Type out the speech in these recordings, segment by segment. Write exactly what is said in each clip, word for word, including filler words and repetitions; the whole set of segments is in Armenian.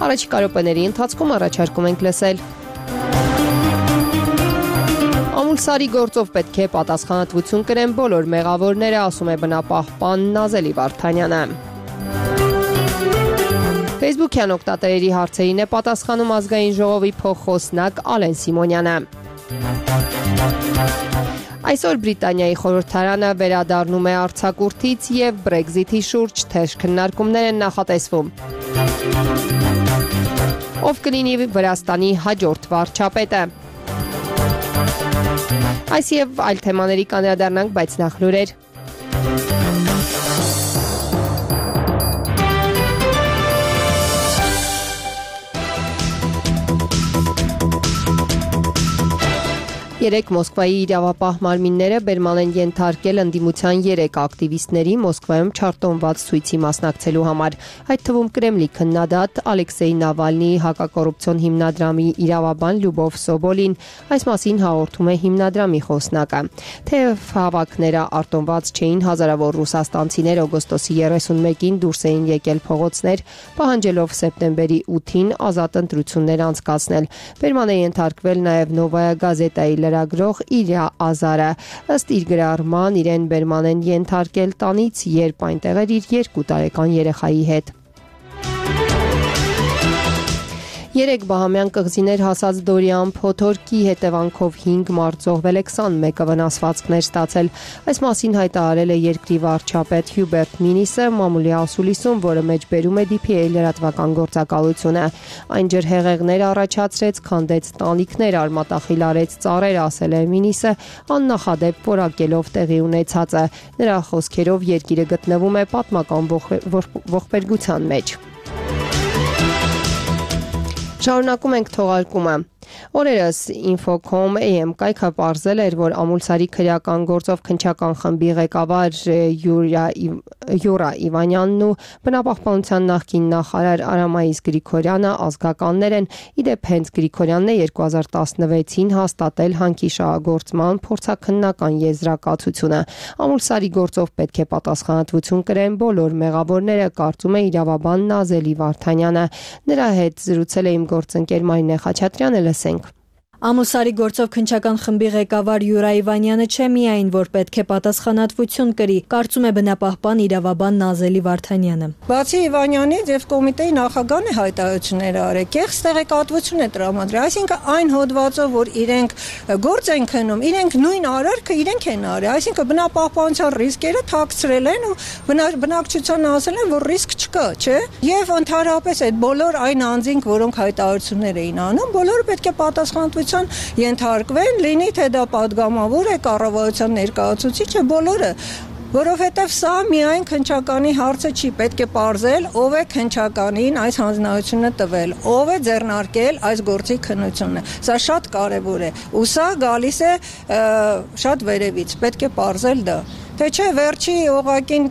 Առաջիկա րոպեների ընթացքում առաջարկում ենք լսել. Ամուլսարի գործով պետք է պատասխանատվություն կրեն բոլոր մեղավորները, ասում է բնապահպան Նազելի Վարդանյանը։ Facebook-յան օգտատերերի հարցերին է պատասխանում ազգային ժողովի փոխխոսնակ Ալեն Սիմոնյանը։ Այսօր Բրիտանիայի խորհրդարանը վերադառնում է արձակուրդից եւ Brexit-ի շուրջ թեժ քննարկումներ են նախատեսվում։ Ով կլինի Վրաստանի հաջորդ վարչապետը։ Այս եւ այլ թեմաների կանդրադառնանք, բայց նախ լուրեր։ Երեք Մոսկվայի իրավապահ մարմինները բերման են ենթարկել ընդդիմության երեք ակտիվիստների Մոսկվայում չարտոնված ցույցի մասնակցելու համար։ Այդ թվում Կրեմլի քննադատ Ալեքսեյ Նավալնիի հակակոռուպցիոն հիմնադրամի իրավաբան Լյուբով Սոբոլին, այս մասին հաղորդում է հիմնադրամի խոսնակը։ Թեև հավաքները արտոնված չէին, հազարավոր ռուսաստանցիներ օգոստոսի երեսունմեկին դուրս էին եկել փողոցներ, պահանջելով սեպտեմբերի ութին ազատ ընտրություններ անցկացնել։ Բերման է ենթարկվել նաև Նովայա գազետայի լրագրող Իլյա Ազարը, ըստ իր գրառման իրեն բերման են ենթարկել տանից, երբ այնտեղ էր իր երկու տարեկան երեխայի հետ։ Երեք բահամյան կղզիներ հասած Դորիան փոթորկի հետևանքով հինգ մարդ զոհվել է, քսանմեկը վնասվածքներ ստացել։ Այս մասին հայտարարել է երկրի վարչապետ Հյուբերտ Մինիսը մամուլի ասուլիսում, որը մեջբերում է դի փի էյ լրատվական գործակալությունը։ Այն ջրհեղեղներ առաջացրեց, քանդեց տանիքներ, արմատախիլարեց ծառեր, ասել է Մինիսը, աննախադեպ որակելով տեղի ունեցածը։ Նրա խոսքերով երկիրը գտնվում է պատմական ողբերգության մեջ։ Շարունակում ենք թողարկումը։ Օրերս Infocom A M կայքը պարզել էր, որ Ամուլսարի քրեական գործով քննչական խմբի ղեկավար Յուրա Իվանյանն ու բնապահպանության նախկին նախարար Արամայիս Գրիգորյանը ազգականներ են։ Իդեպ հենց Գրիգորյանն է երկու հազար տասնվեցին հաստատել հանքիշահագործման փորձաքննական եզրակացությունը։ Ամուլսարի գործով պետք է պատասխանատվություն կրեն բոլոր մեղավորները, կարծում է իրավաբան Նազելի Վարդանյանը։ Նրա հետ զրուցել է իմ գործընկեր Մարինե Խաչատրյանը, լսենք։ Ամուլսարի գործով քննչական խմբի ղեկավար Յուրա Իվանյանը չէ միայն, որ պետք է պատասխանատվություն կրի, կարծում է բնապահպան իրավաբան Նազելի Վարդանյանը։ Բացի Իվանյանից եւ կոմիտեի նախագահն է հայտարարություններ արել, կեղծ տեղեկատվություն է տրամադրել, այսինքն այն հոդվածով, որ իրենք գործ են քննում, իրենք նույն արարքը իրենք են արել, այսինքն բնապահպանության ռիսկերը թաքցրել են ու բնակչությանը ասել են, որ ռիսկ չկա, չէ՞։ Եվ ընդհանրապես այդ բոլոր այն անձինք, որոնք հայտարարություններ էին անում, բոլորը պետք է պատասխանատվություն ենթարկվեն, լինի թե դա падգամավոր է, կառավարության ներկայացուցիչը, բոլորը, որովհետև սա միայն քննչականի հարցը չի, պետք է պարզել, ով է քննչականին այս հանձնարարությունը տվել, ով է ձեռնարկել այս գործի քննությունը։ Սա շատ կարևոր է, ու սա գալիս է շատ վերևից, պետք է պարզել դա։ Թե չէ վերջի օղակին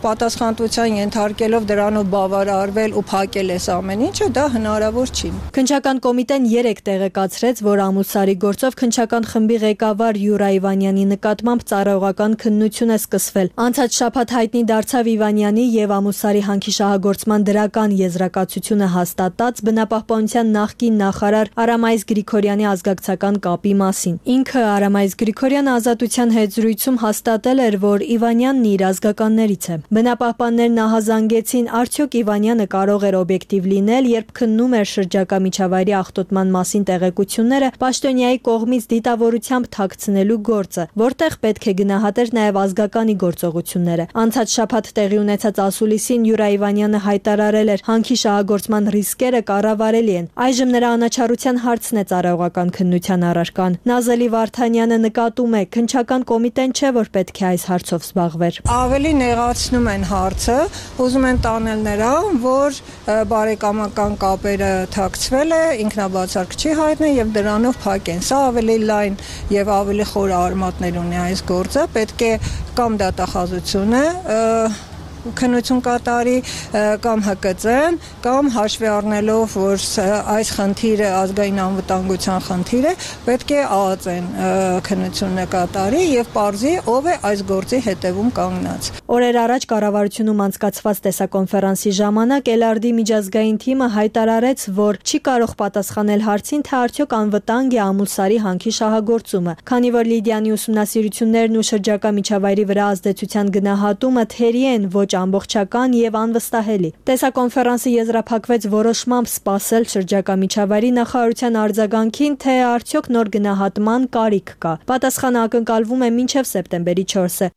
պատասխանատվության ենթարկելով դրանով բավարարվել ու փակել այս ամեն ինչը, դա հնարավոր չի։ Քննչական կոմիտեն երեք տեղեկացրեց, որ Ամուլսարի գործով քննչական խմբի ղեկավար Յուրա Իվանյանի նկատմամբ ծառայողական քննություն է սկսվել։ Անցած շաբաթ հայտնի դարձավ Իվանյանի եւ Ամուլսարի հանքիշահագործման դրական եզրակացությունը հաստատած բնապահպանության նախկին նախարար Արամայիս Գրիգորյանի ազգակցական կապի մասին։ Ինքը Արամայիս Գրիգորյանը ազատության հետ զրույցում հաստատել էր, որ Իվանյանն իր ազգականներից է։ Բնապահպաններն նահազանգեցին, արդյոք Իվանյանը կարող էր օբյեկտիվ լինել, երբ քննում էր շրջակա միջավայրի աղտոտման մասին տեղեկությունները պաշտոնյայի կողմից դիտավորությամբ թաքցնելու գործը, որտեղ պետք է գնահատեր նաև ազգականի գործողությունները։ Անցած շաբաթ տեղի ունեցած ասուլիսին Յուրա Իվանյանը հայտարարել էր, հանքիշահագործման ռիսկերը կառավարելի են։ Այժմ նրա անաչառության հարցն է ծառայողական քննության առարկան։ Նազելի Վարդանյանը նկատում է, քննչական կոմիտեն չէ, որ պետք է այս հարցով զբաղվեր։ Ավելի նեղացնում են հարցը, ուզում են տանել նրան, որ բարեկամական կապերը թաքցվել է, ինքնաբացարկ չի հայտնել եւ դրանով փակեն։ Սա ավելի լայն եւ ավելի խոր արմատներ ունի այս գործը, պետք է կամ դատախազությունը քննություն կատարի կամ Հ Կ Ծ-ն, կամ հաշվի առնելով, որ այս խնդիրը ազգային անվտանգության խնդիր է, պետք է Ա Ծ Ն քննությունը կատարի եւ պարզի ով է այս գործի հետևում կանգնած։ Օրեր առաջ կառավարությունում անցկացված տեսակոնֆերանսի ժամանակ Էլարդի միջազգային թիմը հայտարարեց, որ չի կարող պատասխանել հարցին, թե արդյոք անվտանգ է Ամուլսարի հանքի շահագործումը, քանի որ Լիդիանի ուսումնասիրություններն ու շրջակա միջավայրի վրա ազդեցության գնահատումը թերի են ոչ ամբողջական եւ անվստահելի։ Տեսակոնֆերանսը եզրափակվեց որոշմամբ սպասել շրջակա միջավայրի նախարարության արձագանքին, թե արդյոք նոր գնահատման կարիք կա։ Պատասխանը ակնկալվում է մինչև սեպտեմբերի չորսը։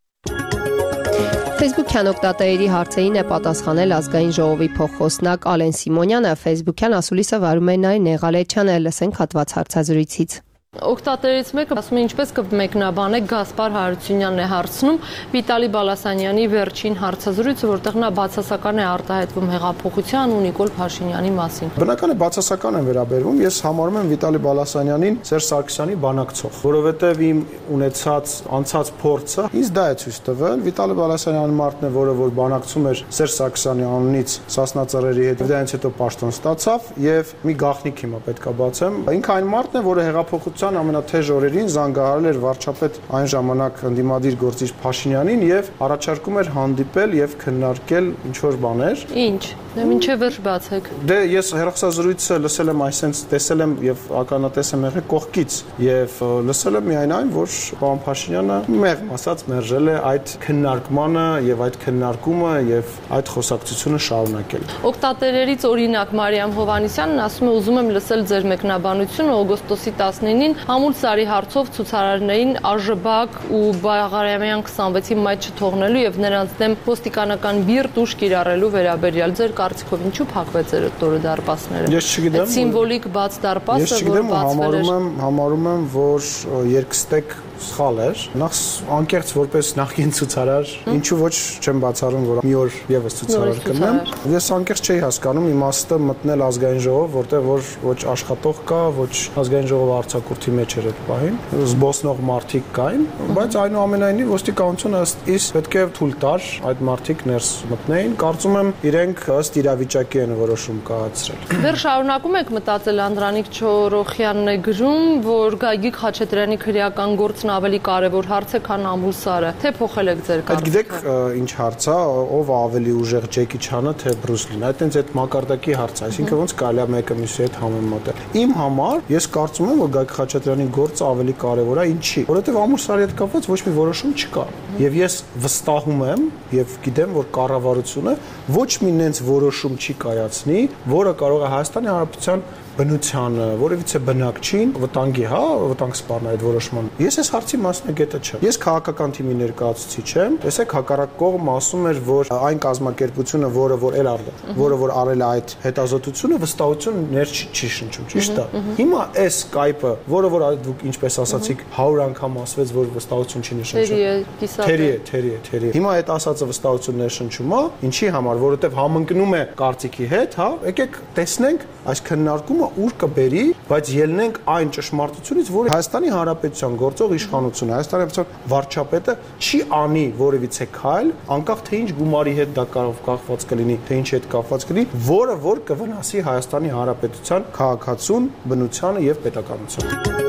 Facebook-յան օգտատերերի հարցերին է պատասխանել ազգային ժողովի փոխխոսնակ Ալեն Սիմոնյանը, Facebook-յան ասուլիսը վարում է Նայ Նեղալեչյանը, լսենք հատված հարցազրույցից։ Օգտատերից մեկը ասում է ինչպես կմեկնաբանեք Գասպար Հարությունյանն է հարցնում Վիտալի Բալասանյանի վերջին հարցազրույցը, որտեղ նա բացասական է արտահայտվում հեղափոխության ու Նիկոլ Փաշինյանի մասին։ Բնական է բացասական են վերաբերվում, ես համարում եմ Վիտալի Բալասանյանին Սերժ Սարգսյանի բանակցող, որովհետև իմ ունեցած անցած փորձը ինձ դա է ցույց տվել։ Վիտալի Բալասանյանը մարդն է, որը որ բանակցում էր Սերժ Սարգսյանի անունից Սասնա Ծռերի հետ, դրանից հետո պաշտոն ստացավ եւ մի գաղտնիք հիմա պետքա բացեմ։ Ինքը այն մարդն է, որը հեղափոխության ամենաթեժ օրերին զանգահարել էր վարչապետ այն ժամանակ ընդդիմադիր գործիչ Փաշինյանին եւ առաջարկում էր հանդիպել եւ քննարկել ինչ որ բաներ։ Ինչ։ Դե մինչեւ վերջ բացեք։ Դե ես հերոսազրույցը լսել եմ, այսենց տեսել եմ եւ ականատես եմ եղել կողքից եւ լսել եմ միայն այն, որ պարոն Փաշինյանը մեղմ ասած մերժել է այդ քննարկմանը եւ այդ քննարկումը եւ այդ խոսակցությունը շարունակել։ Օգտատերերից օրինակ Մարիամ Հովհաննիսյանն ասում է ուզում եմ լսել ձեր մեկնաբանությունը օգոստոսի տասնինին Ամուլսարի հարցով ցուցարարներին ԱԺԲ ու Բաղարամյան քսանվեցի մայթ չթողնելու եւ նրանց դեմ ոստիկանական բիրտ ուժ կիրառելու վերաբերյալ ձեր կարծիքով ինչու փակվեց այդ տորը դարպասները։ Ես չգիտեմ։ Սիմվոլիկ բաց դարպասը, որ բացվել էր։ Համարում եմ, համարում եմ, որ երկստեք սխալ էր։ Նախ անկեղծ որպես նախկին ցուցարար, ինչու ոչ չեմ բացառում, որ մի օր եւս ցուցարար կնեմ։ Ես անկեղծ չէի հասկանում իմաստը մտնել ազգային ժողով, որտեղ որ ոչ աշխատող կա, ոչ ազգային ժողովը արձակուրդի մեջ էր այդ պահին, զբոսնող մարդիկ կային, բայց այնուամենայնիվ ոստիկանությունը ըստ իս պետք է թույլ տար այդ մարդիկ ներս մտնեին։ Կարծում եմ իրենք ըստ իրավիճակի են որոշում կայացրել։ Դեռ շարունակում եք մտածել Անդրանիկ Չորոխյանն է գրում, որ Գագիկ Խաչատրյանի քրեական գործն ավելի կարևոր հարց է, քան Ամուլսարը, թե փոխել եք ձեր կարծիքը։ Գիտեք ինչ հարց է, ով ավելի ուժեղ Ջեկի Չանը, թե Բրուս Լին։ Այդ այնց այդ մակարդակի հարց է, այսինքն ոնց կարելի է մեկը մյուսի հետ համեմատել։ Իմ համար ես կարծում եմ, որ Գագիկ Խաչատրյանի գործը ավելի կարևոր է, ինչի, որովհետև Ամուլսարի հետ կապված ոչ մի որոշում չկա։ Եվ ես վստահում եմ եւ գիտեմ, որ կառավարությունը ոչ մի նենց որոշում չի կայացնի, որը կարող է Հայաստանի Հանրապետության բնությանը, որևիցե բնակչին վտանգի, հա, վտանգ սպառնա այդ որոշման։ Ես այս հարցի մասնագետը չեմ։ Ես քաղաքական թիմի ներկայացուցիչ եմ։ Տեսեք, հակառակ կողմը ասում էր, որ այն կազմակերպությունը, որը որ էլ արել, որը որ արել է այդ հետազոտությունը, վստահություն ներ չի շնչում, ճիշտ է։ Հիմա այս Skype-ը, որը որ դուք ինչպես ասացիք, հարյուր անգամ ասվեց, որ վստահություն չի նշնչում։ Թերի է, թերի է, թերի է։ Հիմա այդ ասածը վստահություն ներշնչում է, ինչի համար, որովհետև համընկնում է կարծիքի հետ, հա։ Եկեք տեսնենք այս քննարկումը ուր կբերի, բայց ելնենք այն ճշմարտությունից, որ Հայաստանի Հանրապետության գործող իշխանությունը, Հայաստանի Հանրապետության վարչապետը չի անի որևիցե քայլ, անկախ թե ինչ գումարի հետ դա կարող կապված կլինի, թե ինչ հետ կապված կլինի, որը որ կվնասի Հայաստանի Հանրապետության քաղաքացուն, բնությանը եւ պետականությանը։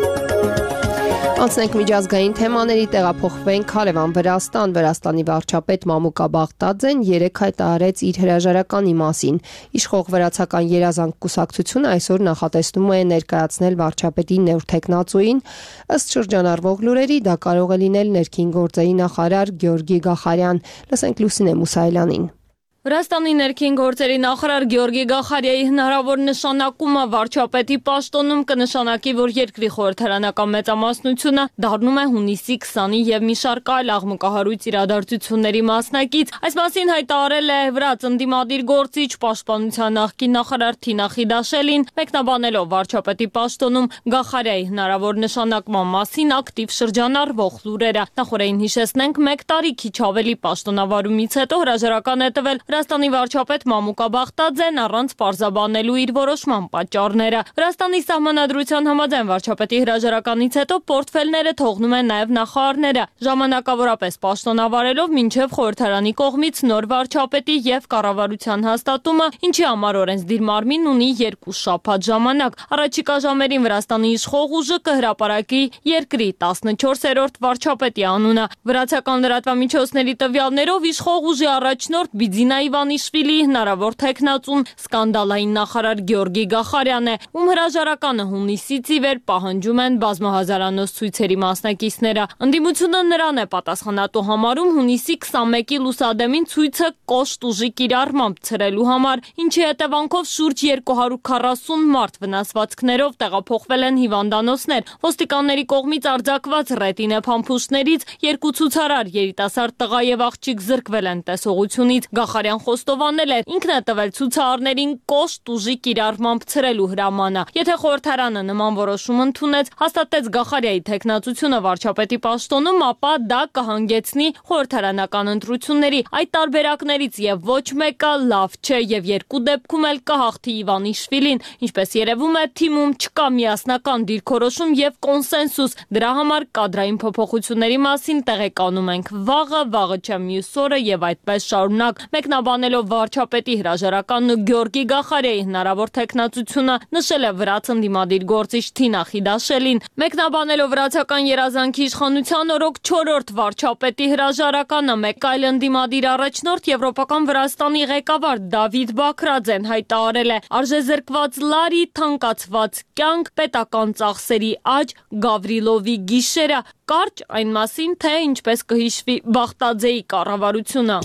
Անցնենք միջազգային թեմաների, տեղափոխվենք Հարևան Վրաստան։ Վրաստանի վարչապետ Մամուկա Բաղդադզեն երեկ հայտարարեց իր հրաժարականի մասին։ Իշխող վրացական երազանք կուսակցությունը այսօր նախատեսնում է ներկայացնել վարչապետի նոր թեկնածուին։ Ըստ շրջանառվող լուրերի դա կարող է լինել ներքին գործերի նախարար Գյորգի Գախարյան։ Լսենք Լուսինե Մուսայելյանին։ Վրաստանի ներքին գործերի նախարար Գյորգի Գախարյայի հնարավոր նշանակումը վարչապետի պաշտոնում կնշանակի, որ երկրի խորհրդարանական մեծամասնությունը դառնում է հունիսի քսանին եւ մի շարք այլ աղմկահարույց իրադարձությունների մասնակից։ Այս մասին հայտարարել է վրաց ընդդիմադիր գործիչ պաշտպանության նախկին նախարար Թինա Խիդաշելին, մեկնաբանելով վարչապետի պաշտոնում Գախարյայի հնարավոր նշանակման մասին ակտիվ շրջանառվող լուրերը։ Նախորդին հիշեցնենք, մեկ տարի քիչ ավելի պաշտոնավարումից հետո հրաժարական է տվել Վրաստանի վարչապետ Մամուկա Բախտաձեն առանց պարզաբանելու իր որոշման պատճառները։ Վրաստանի սահմանադրության համաձայն վարչապետի հրաժարականից հետո պորտֆելները թողնում են նաև նախարարները, ժամանակավորապես պաշտոնավարելով մինչև խորհրդարանի կողմից նոր վարչապետի եւ կառավարության հաստատումը, ինչի համար օրենսդիր մարմինն ունի երկու շաբաթ ժամանակ։ Առաջիկա ժամերին Վրաստանի իշխող ուժը կհրապարակի երկրի տասնչորսերորդ վարչապետի անունը։ Վրացական լրատվամիջոցների տվյալներով իշխող ուժի առաջնորդ Բիձինա Իվանիշվիլիի հնարավոր թեկնածուն սկանդալային նախարար Գյորգի Գախարյանն է, ում հրաժարականը հունիսից ի վեր պահանջում են բազմահազարանոց ցույցերի մասնակիցները։ Ընդդիմությունը նրան է պատասխանատու համարում հունիսի քսանմեկի լուսադեմին ցույցը կոշտ ուժի կիրառմամբ ցրելու համար, ինչի հետևանքով շուրջ երկու հարյուր քառասուն մարդ վնասվածքներով տեղափոխվել են հիվանդանոցներ։ Ոստիկանների կողմից արձակված ռետինե փամփուշտներից երկու ցուցարար, երիտասարդ տղա եւ աղջիկ զրկվել են տեսողությունից։ Գախարյան խոստովանել է, ինքն է տվել ցուցարարներին կոշտ ուժի կիրառմամբ ցրելու հրամանը։ Եթե խորհրդարանը նման որոշում ընդունեց, հաստատեց Գախարյայի թեկնածությունը վարչապետի պաշտոնում, ապա դա կհանգեցնի խորհրդարանական ընտրությունների։ Այդ տարբերակներից եւ ոչ մեկը լավ չէ եւ երկու դեպքում էլ կհաղթի Իվանիշվիլին։ Ինչպես երևում է, թիմում չկա միասնական դիրքորոշում եւ կոնսենսուս։ Դրա համար կադրային փոփոխությունների մասին տեղեկանում ենք վաղը, վաղը չէ մյուս օրը եւ այդպես շարունակ։ Մեկնաբանելով վարչապետի հրաժարականն ու Գյորգի Գախարյայի հնարավոր թեկնածությունը, նշել է վրաց ընդդիմադիր գործիչ Թինա Խիդաշելին։ Մեկնաբանելով վրացական երազանքի իշխանության օրոք չորրորդ վարչապետի հրաժարականը, մեկ այլ ընդդիմադիր առաջնորդ Եվրոպական Վրաստանի ղեկավար Դավիթ Բաքրաձեն հայտարարել է. «Արժեզրկված լարի, թանկացված կյանք, պետական ծախսերի աճ, Գավրիլովի գիշերը»։ Կարճ այն մասին, թե ինչպես կհիշվի Բախտաձեի կառավարությունը։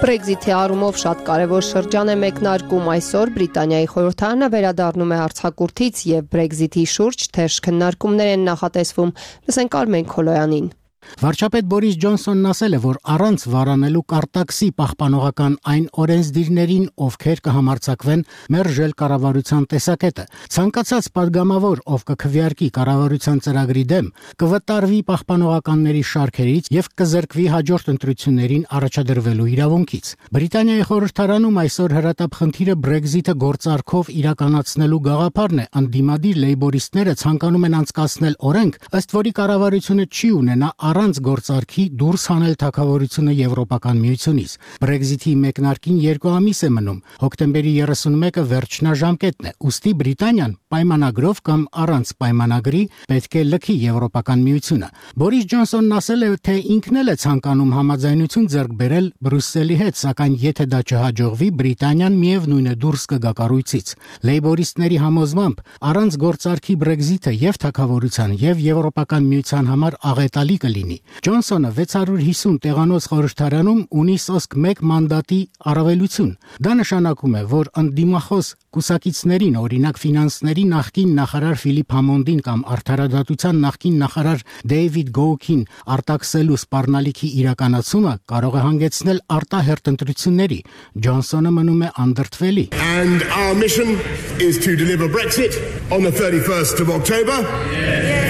Բրեքզիթի առումով շատ կարևոր շրջան է մեկնարկում այսօր Բրիտանիայի խորհրդարանը վերադառնում է արձակուրդից եւ Բրեքզիթի շուրջ թեժ քննարկումներ են նախատեսվում։ Լսենք Արմեն Քոլոյանին։ Վարչապետ Բորիս Ջոնսոնն ասել է, որ առանց վարանելու կարտաքսի պահպանողական այն օրենսդիրներին, ովքեր կհամարձակվեն մերժել կառավարության տեսակետը, ցանկացած падգամավոր, ով կքվեարկի կառավարության ծրագրի դեմ, կվտարվի պահպանողականների շարքերից եւ կզրկվի հաջորդ ընտրություններին առաջադրվելու իրավունքից։ Բրիտանիայի խորհրդարանում այսօր հրատապ խնդիրը Բրեքզիթը գործարքով իրականացնելու գաղափարն է։ Անդիմադիր լեյբորիստները ցանկանում են անցկացնել օրենք, ըստ որի կառավարությունը չի ունենա առանց գործարքի դուրս հանել թագավորությունը Եվրոպական միությունից։ Բրեքզիթի մեկնարկին երկու ամիս է մնում։ Հոկտեմբերի երեսունմեկը վերջնաժամկետն է։ Ուստի Բրիտանիան պայմանագրով կամ առանց պայմանագրի պետք է լքի Եվրոպական միությունը։ Բորիս Ջոնսոնն ասել է, թե ինքն էլ է ցանկանում համաձայնություն ձեռք բերել Բրյուսելի հետ, սակայն եթե դա չհաջողվի, Բրիտանիան միևնույն է դուրս կգա կառույցից։ Լեյբորիստների համոզմամբ առանց գործարքի Բրեքզիթը եւ թագավորության եւ Եվրոպական միության համար աղետալի կլինի։ Ջոնսոնը վեց հարյուր հիսուն տեղանոց խորհրդարանում ունի սոսկ մեկ մանդատի առավելություն։ Դա նշանակում է, որ ընդդիմախոս կուսակիցներին, օրինակ ֆինանսների նախկին նախարար Ֆիլիպ Համոնդին կամ արդարադատության նախկին նախարար Դեյվիդ Գոուքին արտաքսելու սպառնալիքի իրականացումը կարող է հանգեցնել արտահերթ ընտրությունների։ Ջոնսոնը մնում է անդրդվելի։ And our mission is to deliver Brexit on the thirty-first of October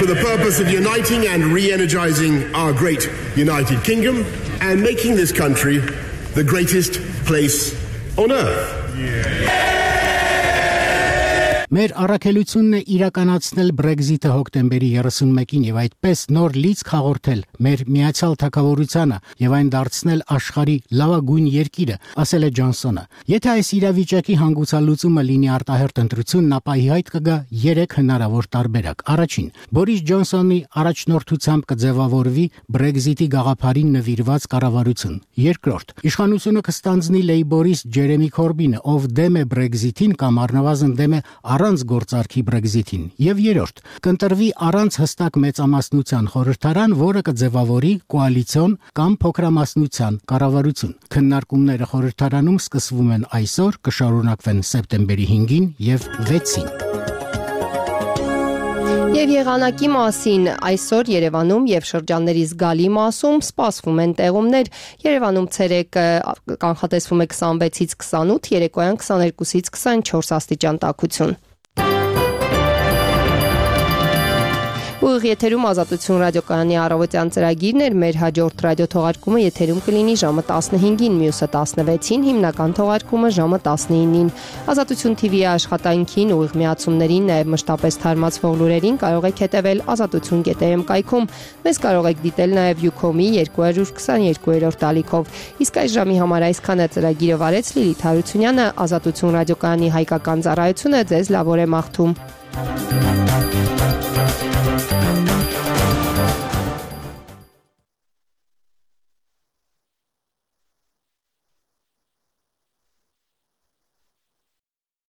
for the purpose of uniting and re-energizing our great United Kingdom and making this country the greatest place on earth. Մեր առաքելությունն է իրականացնել Բրեքզիթը հոկտեմբերի երեսունմեկին եւ այդպես նոր լիցք հաղորդել մեր միացյալ թագավորությանը եւ այն դարձնել աշխարհի լավագույն երկիրը, ասել է Ջոնսոնը։ Եթե այս իրավիճակի հանգուցալուծումը լինի արտահերթ ընտրությունն, ապա իհայտ կգա երեք հնարավոր տարբերակ։ Առաջին, Բորիս Ջոնսոնի առաջնորդությամբ կձևավորվի Բրեքզիթի գաղափարին նվիրված կառավարություն։ Երկրորդ, իշխանությունը կստանձնի լեյբորիստ Ջերեմի Քորբինը, ով դեմ է Բրեքզիթին կամ առնվազն դեմ է առանց գործարքի Բրեքզիթին, եւ երրորդ, կընտրվի առանց հստակ մեծամասնության խորհրդարան, որը կձևավորի կոալիցիոն կամ փոքրամասնության կառավարություն։ Քննարկումները խորհրդարանում սկսվում են այսօր, կշարունակվեն սեպտեմբերի հինգին եւ վեցին։ Եվ եղանակի մասին այսօր Երևանում եւ շրջանների զգալի մասում սպասվում են տեղումներ։ Երևանում ցերեկը կանխատեսվում է քսանվեցից քսանութ, երեկոյան քսաներկուսից քսանչորս աստիճան տաքություն։ Ուղիղ եթերում Ազատություն ռադիոկայանի առավոտյան ծրագիրն էր, մեր հաջորդ ռադիոթողարկումը եթերում կլինի ժամը տասնհինգին, մյուսը տասնվեցին, հիմնական թողարկումը ժամը տասնինին։ Ազատություն թի վի-ի աշխատանքին, ուղիղ միացումներին, նաև մշտապես թարմացվող լուրերին կարող եք հետևել ազատություն կետ է էմ կայքում։ Մեզ կարող եք դիտել նաև Յուքոմի երկու քսաներկուերորդ ալիքով։ Իսկ այս ժամի համար այսքանը ծրագիրը վարեց Լիլիթ Հարությունյանը, Ազատություն ռադիոկայանի հայկական ծառայությունը ձեզ լավ օր է մաղթում։